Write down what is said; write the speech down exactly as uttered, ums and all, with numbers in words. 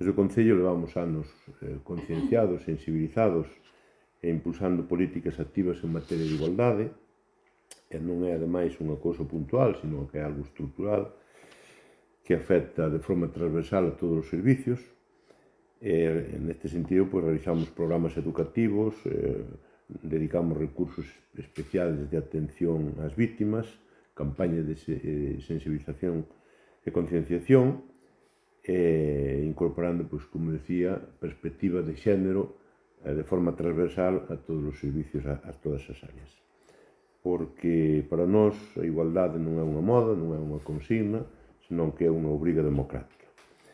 Desde o Concello levamos anos eh, concienciados, sensibilizados e impulsando políticas activas en materia de igualdade, e non é ademais unha cousa puntual, sino que é algo estrutural que afecta de forma transversal a todos os servicios. E, neste sentido, pues, realizamos programas educativos, eh, dedicamos recursos especiales de atención ás víctimas, campañas de sensibilización e concienciación, e incorporando, pues, como decía, perspectiva de xénero eh, de forma transversal a todos os servicios, a, a todas as áreas. Porque para nós a igualdade non é unha moda, non é unha consigna, senón que é unha obriga democrática.